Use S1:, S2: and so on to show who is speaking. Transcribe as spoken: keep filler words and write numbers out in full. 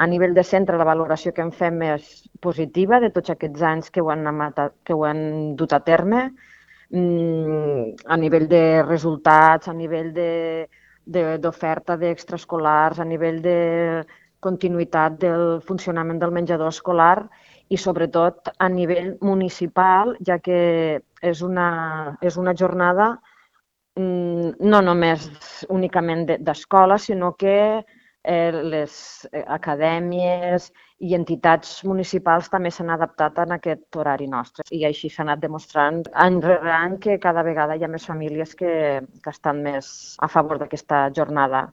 S1: A nivell de centre, la valoració que en fem és positiva de tots aquests anys que ho han, que ho han dut a terme. A nivell de resultats, a nivell d'oferta d'extraescolars, a nivell de continuïtat del funcionament del menjador escolar i, sobretot, a nivell municipal, ja que és una, és una jornada no només únicament d'escola, sinó que les acadèmies i entitats municipals també s'han adaptat a aquest horari nostre. I així s'ha anat demostrant any rere any que cada vegada hi ha més famílies que estan més a favor d'aquesta jornada.